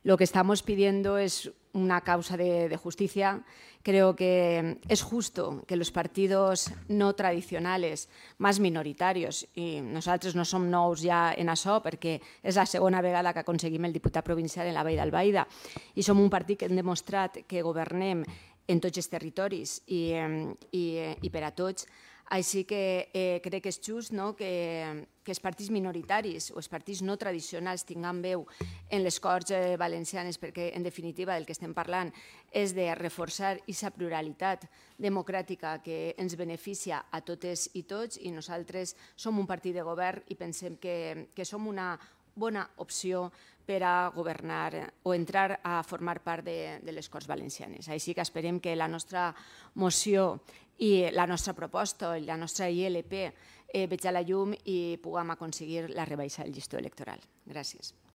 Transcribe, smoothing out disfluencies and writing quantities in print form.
Lo que estamos pidiendo es una causa de justicia. Creo que es justo que los partidos no tradicionales, más minoritarios, i nosaltres no som nous ja en això perquè és la segona vegada que aconseguim el diputat provincial en la Vall d'Albaida i som un partit que hem demostrat que governem en tots els territoris i per a tots. Així que crec que és just que els partits minoritaris o els partits no tradicionals tinguin veu en les Corts Valencianes, perquè en definitiva del que estem parlant és de reforçar aquesta pluralitat democràtica que ens beneficia a totes i tots, i nosaltres som un partit de govern i pensem que som una bona opció per a governar o entrar a formar part de les Corts Valencianes. Així que esperem que la nostra moció i la nostra proposta i la nostra ILP veig a la llum i puguem aconseguir la rebaixa del llistó electoral. Gràcies.